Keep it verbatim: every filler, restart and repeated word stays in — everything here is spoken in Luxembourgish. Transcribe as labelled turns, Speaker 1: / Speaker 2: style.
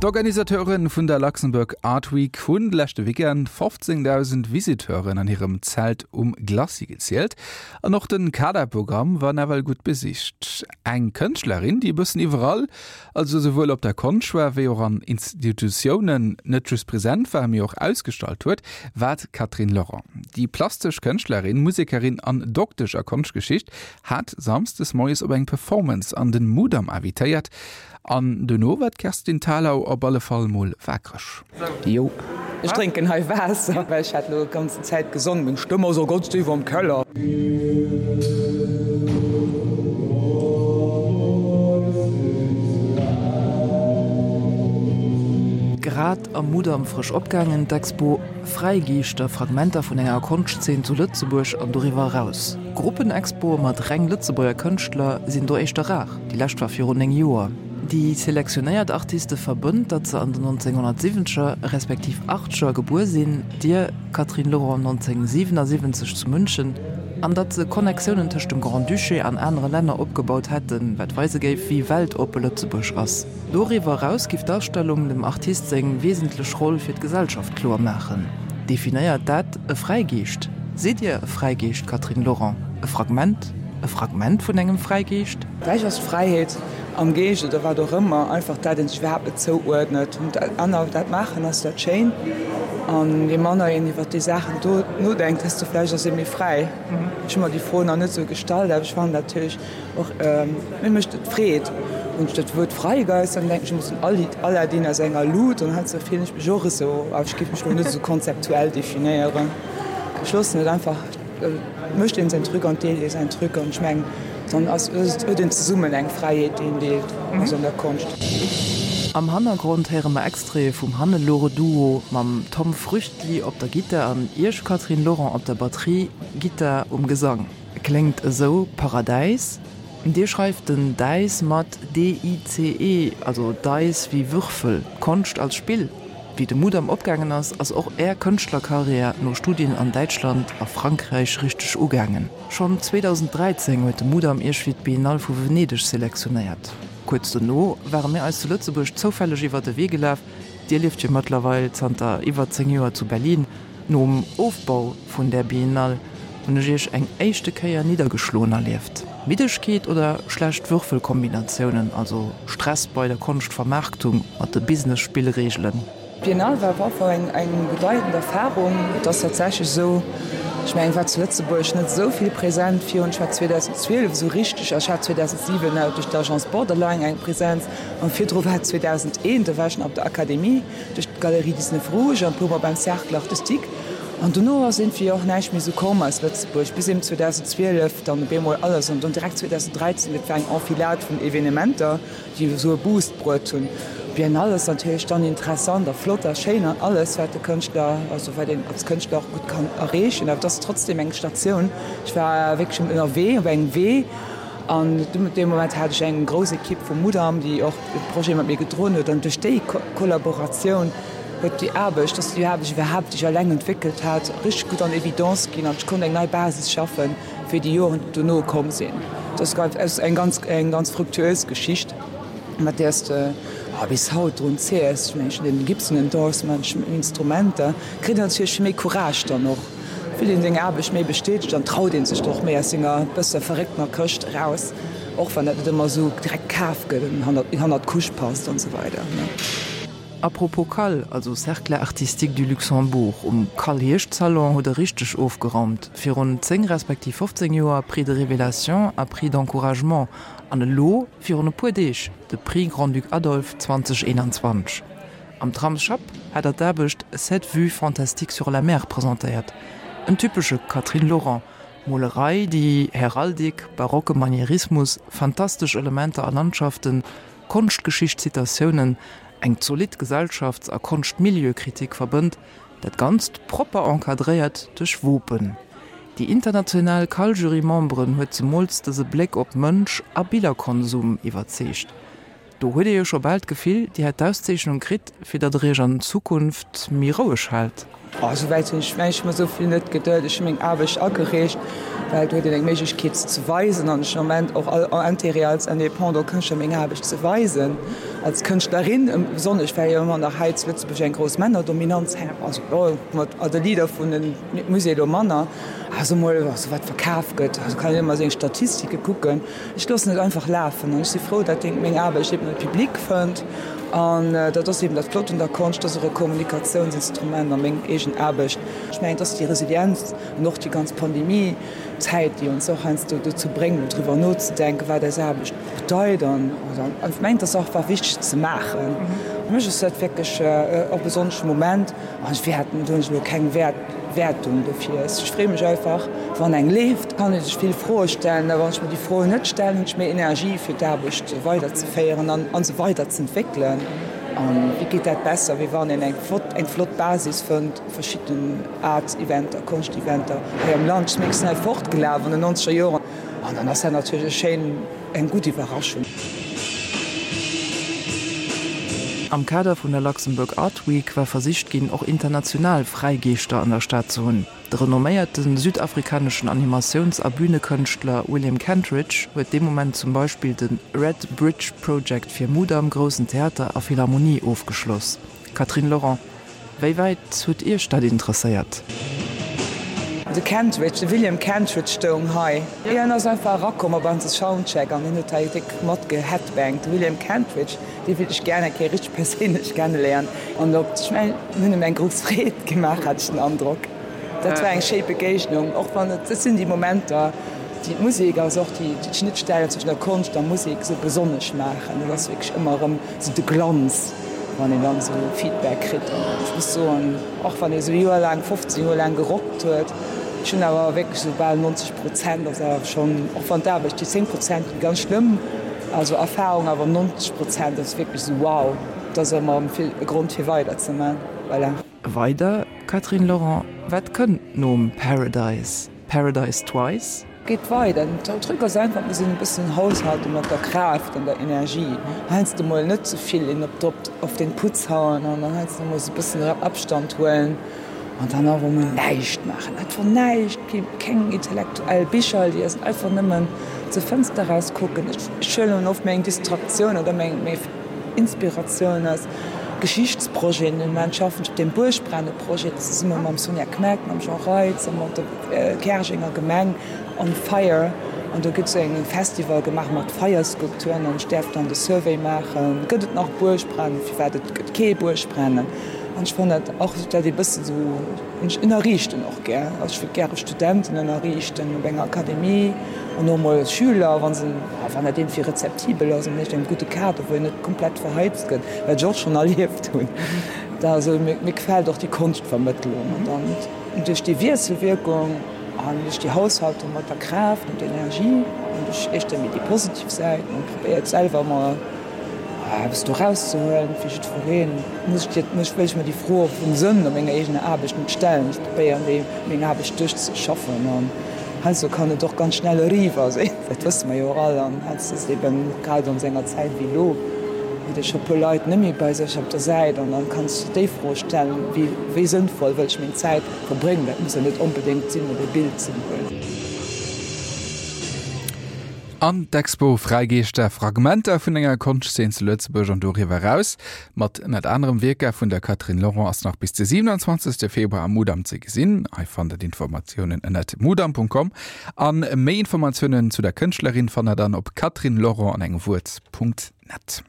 Speaker 1: D'Organisateure vun der Luxembourg Art Week hunn de leschte Weekend fofzéngdausend Visiteuren an hirem Zelt um Glacis gezielt. An och de Kaderprogramm war nawell gutt besicht. Eng Kënschtlerin, déi e bëssen iwwerall, also souwuel op der Konscht war wéi och an Institutiounen net just present war, mee och ausgestallt huet, war d'Catherine Laurent. Déi plastesch Kënschtlerin, Musekerin an Doktesch a Konschtgeschicht hat samsdes moies op eng Performance an den Mudam invitéiert. An duerno war d'Kerstin Thalau op alle Fall mol waakreg.
Speaker 2: Jo. Ech drénken hei Waasser, well ech hat elo d'ganzen Zäit gesongen, meng Stëmm ass och ganz déif am Keller.
Speaker 3: Grad am Mudam frësch opgaangen, d'Expo Fräigeeschter, Fragmenter vun enger Konschtzeen zu Lëtzebuerg an doriwwer eraus. Gruppenexpoe mat reng Lëtzebuerger Kënschtler sinn do éischter rar, déi lescht war virun néng Joer. Déi selektionéiert Artiste verbënnt, datt se an den nonzénghonnertsiwwenzeger respektiv achteger gebuer sinn, Dir, Catherine Laurent, nonzénghonnertsiwwensiwwenzeg zu München, an datt se Connectiounen tëscht dem Grand-Duché an anere Länner opgebaut hätten, wat weise géif, wéi weltoppe Lëtzebuerg ass. Doriwwer eraus giff d'Ausstellung dem Artist seng wesentlech Roll fir d'Gesellschaft kloer maachen. Definéiert dat e Fräigeescht? Sidd Dir e Fräigeescht, Catherine Laurent? E Fragment? E Fragment vun engem Fräigeescht?
Speaker 2: Vläicht ass d'Fräiheet am Geescht oder wat och ëmmer einfach dat een sech iwwerhaapt net zouuerdnet. An dat aner dat maachen ass dat schéin. An je manner een iwwer déi Saachen do nodenkt, desto vläicht ass ee méi fräi. Ech hu mer déi Fro nach net esou gestallt, awer ech fannen dat natierlech och, mir mécht et Freed. Wann ech dat Wuert Freigeist, dann denken ech ëmmer esou un Aladdin a senger Lut an heiansdo fillen ech mech och esou, awer ech géif mech elo net esou konzeptuell definéieren. Ech loossen et einfach, et mécht een säin Truc an et deelt ee säin Truc an ech mengen, dann ass, huet een zesummen eng Fräiheet, déi een deelt, also an der Konscht.
Speaker 3: Am Hannergrond héiere mer Extraite vum Hannelore-Duo mam Tom Früchtli op der Gittar an Iech, Catherine Laurent, op der Batterie, Gittar um Gesang. Kléngt esou Paradäis. Dir schreift den Dice mat D I C E, also Dice wéi Würfel, Konscht als Spill. Wéi de Mudam opgaangen ass, ass och Är Kënschtlerkarriär no Studien an Däitschland a Frankräich richteg ugaangen. Schonn zweedausenddräizéng huet de Mudam Iech fir d'Biennale vu Venedeg selektionéiert. Kuerz dono ware mir eis zu Lëtzebuerg zoufälleg iwwer de Wee gelaf, Dir lieft jo mëttlerweil zanter iwwer zéng Joer zu Berlin. Nom Ofbau vun där Biennale hunn ech Iech eng éischte Kéier niddergeschloen erlieft. Middegkeet oder schlecht Würfelkombinatiounen, also Stress bei der Konschtvermaarktung mat de Business-Spillreegelen?
Speaker 2: D'Biennale war op alle Fall eng bedeitend Erfarung. Et ass tatsächlech esou, ech mengen, et war zu Lëtzebuerg net esou vill present virun, ech war zweedausendzwielef esou richteg, ech hat zweedausensiwen duerch d'Agence Borderline eng Presenz an virdru war et zweedausendeent, do war ech nach op der Akademie duerch d'Galerie dix-neuf Rouge an e puermol beim Cercle artistique. An dono ass iergendwéi och näischt méi esou komm aus Lëtzebuerg, bis eben zweedausendzwielef dann op eemol alles an dann direkt zweedausenddräizéng, et war eng Enfilade vun Evenementer, déi esou e Boost bruet hunn. D'Biennale ass natierlech dann interessant a flott a schéin an alles, wat de Kënschtler, also wat een als Kënschtler och gutt kann erreechen, awer et ass trotzdem eng Statioun. Ech war wierklech ënnerwee, op engem Wee an dee Moment hat ech eng grouss Ekipp vum Mudam, déi och de Projet mat mir gedroen huet an duerch déi Kollaboratioun huet déi Aarbecht, dass déi Aarbecht iwwerhaapt, déi ech eleng entwéckelt hat, richteg gutt an Evidence ginn an ech konnt eng nei Basis schaffen fir déi Joren, déi dono komm sinn. Dat ass eng ganz, eng ganz fructueuse Geschicht, mat där s de bis haut drun zeers. Ech mengen, ech hunn den Gibson Endorsement, ech hunn Instrumenter, kritt een natierlech méi Courage dann och, fillt een seng Aarbecht méi bestätegt an traut ee sech och méi aus senger bësse verrécktener Këscht eraus, och wann dat net ëmmer esou direkt kaf gëtt an hannert d'Couche passt an esou weider.
Speaker 3: A propos CAL, also Cercle Artistique du Luxembourg, um CAL-Hierschtsalon hutt der richteg ofgeraumt, virun zéng respektiv fofzéng Joer Prix de révélation a Prix d'encouragement an elo virun e puer Deeg de Prix Grand-Duc Adolphe zweedausendeentwanzeg. Am Tramsschapp hat der d'Aarbecht Cette vue fantastique sur la mer presentéiert, en typesche Catherine Laurent, Molerei, déi Heraldik, barocke Manierismus, fantastesch Elementer a Landschaften, Konschtgeschicht-Zitatiounen, eng zolidd Gesellschafts a Konschtmilieukritik verbënnt, dat Ganzt propper encadréiert duerch Wopen. Déi international CAL-Jury-Memberen huet zemools dëse Bléck op Mënsch a Billerkonsum iwwerzeegt. Do huet ee jo scho bal d'Gefill, Dir hätt d'Auszeechnung kritt, fir datt Der Iech an Zukunft méi roueg haalt.
Speaker 2: Oh, sou wäit hunn ech mech mer esou vill net geduet. Ech hu meng Aarbecht agereecht, well et huet een eng Méiglechkeet se ze weisen an ech hunn am Moment och all Intérêt als Indépendant Kënschtler meng Aarbecht ze weisen, als Kënschtlerin besonnesch, well jo ëmmer nach hei zu Lëtzebuerg eng grouss Männerdominanz herrscht, also jo mat de Leader vun de Musée elo manner, also mol also wat verkaf gëtt, also kann een ëmmer seng Statistike kucken. Ech loossen et einfach lafen an ech si frou, datt meng Aarbecht eben e Public fënnt an dat ass eben dat Flott un der Konscht, dat ass och e Kommunikatiounsinstrument a meng eegen Aarbecht. Ech mengen, et ass déi Resilienz an och déi ganz Pandemie-Zäit, déi ons och heiansdo dozou bréngt, mol driwwer nozedenken, wat eis Aarbecht bedeit an ech mengen, et ass och einfach wichteg ze maachen. Fir mech ass dat wierklech e besonnesche Moment an ech wäerten, do hunn ech elo keng Wäert. Wäertung dofir. Ech freeë mech einfach, wann eng leeft, kann ee sech vill Froe stellen, a wann ech mir déi Froen net stellen, hunn ech méi Energie fir d'Aarbecht weiderzeféieren an an se weiderzentwéckelen. A wéi geet dat besser, wéi wann een eng flott eng flott Basis fënnt, verschidden Art-Eventer, Konscht-Eventer hei am Land. Ech sinn extra fortgelaf an den nonzeger Joren an dann ass dat natierlech e schéin, eng gutt Iwwerraschung.
Speaker 3: Am Kader vun der Luxembourg Art Week war versicht ginn, och international Fräigeeschter an der Stad ze hunn. De renomméierte südafrikaneschen Animatiouns a Bünekënschtler William Kentridge huet dee Moment zum Beispill de Red Bridge Project fir Mudam, Groussen Theater a Philharmonie ofgeschloss. Catherine Lorent, Wéi wäit huet Iech dat interesséiert?
Speaker 2: De Kentridge, de William Kentridge stoung hei. Hien ass einfach erakomm op eise Soundcheck an hien huet hei déck matgeheadbangt. De William Kentridge, dee wéilt ech gär eng Kéier richteg perséinlech kenneléieren. An op, ech mengen, mir hunn em eng grouss Freed gemaach, hat ech den Androck. Dat war eng schéi Begéignung, och wann et, dat sinn déi Momenter, déi d'Musek, also och déi d'Schnittstellen zwëschen der Konscht a Musek esou besonnesch maachen. Dat ass wierklech ëmmer erëm esou de Glanz. Wann een dann esou Feedback kritt, an ech muss soen, och wann ee sou Joer laang, fofzéng Joer laang gerockt huet, ech hunn awer wierklech esou bal neunzeg Prozent ass awer schonn, och wann d'Aarbecht, déi zéng Prozent déi ganz schlëmm, also Erfahrung, awer neunzeg Prozent ass wierklech esou wow, dat ass ëmmer erëm e Grond fir weider ze man, voilà.
Speaker 3: Weider, Catherine Lorent, wat kënnt nom Paradise? Paradise twice?
Speaker 2: Geet weider. Den Truc ass einfach, muss een e bëssen haushalten mat der Kraaft an der Energie. Heiansdo mol net ze vill een op d'op auf den Putz hauen an dann heiansdo mol e bëssen Abstand huelen an dann awer mol näischt maachen. Einfach näischt, keng intellektuell Bicher liesen, einfach nëmmen zur Fënster raus kucken. Ech huelen oft meng Distraktioun oder meng Inspiratioun aus Geschichtsprojeten. Den Moment schaffen ech op deem Buergbrennen-Projet zesumme mam Sonja Kmeck, mam Jean Reitz a mat der Käerjenger Gemeng On Fire. An do gëtt esou eng Festival gemaach mat Feierskulpturen an ech däerf dann de Survey maachen, gëtt et nach Buergbrennen, firwat et gëtt kee Buergbrennen. An ech fannen dat och dat ee bëssen esou, ech ënnerriichten och gär, also ech wëllt gäre Studenten ënnerriichten op enger Akademie an och mol Schüler, wa se, wann dat iergendwéi rezeptibel ass an echt engem gudde Kader, wou een net komplett verheizt gëtt, wat ech och schonn erlieft hunn. Da also mir gefält och déi Konschtvermëttlung an dann duerch déi Wiesselwierkung an duerch déi Haushaltung mat der Kraaft an der Energie an duerch éischter méi déi positiv Säit, man probéiert selwer ëmmer eppes do rauszehuelen fir jiddwereen, muss ech dir, muss, wëll ech mer déi Fro vum Sënn a menger eegener Aarbecht net stellen. Ech probéieren déi meng Aarbecht duerchzeschaffen an heiansdo kann et och ganz schnell eriwwer sinn, dat wësse mer jo och all an heiansdo ass et eben grad an esou enger Zäit wéi elo, huet ee scho e puer Leit net méi bei sech op der Säit an dann kanns de déi Fro stellen, wéi, wéi sënnvoll wëll ech meng Zäit verbréngen. Dat muss jo net onbedéngt sinn, op e Bild ze molen.
Speaker 1: An d'Expo Fräigeeschter, Fragmenter vun enger Konschtzeen zu Lëtzebuerg an doriwwer eraus, mat ënnert anerem Wierker vun der Catherine Lorent ass nach bis de siewenundzwanzegste Februar am Mudam ze gesinn. Hei fannt der d'Informatiounen ënnert mudam Punkt com an méi Informatiounen zu der Kënschtlerin fannt der dann op catherinelorent an engem Wuert Punkt net.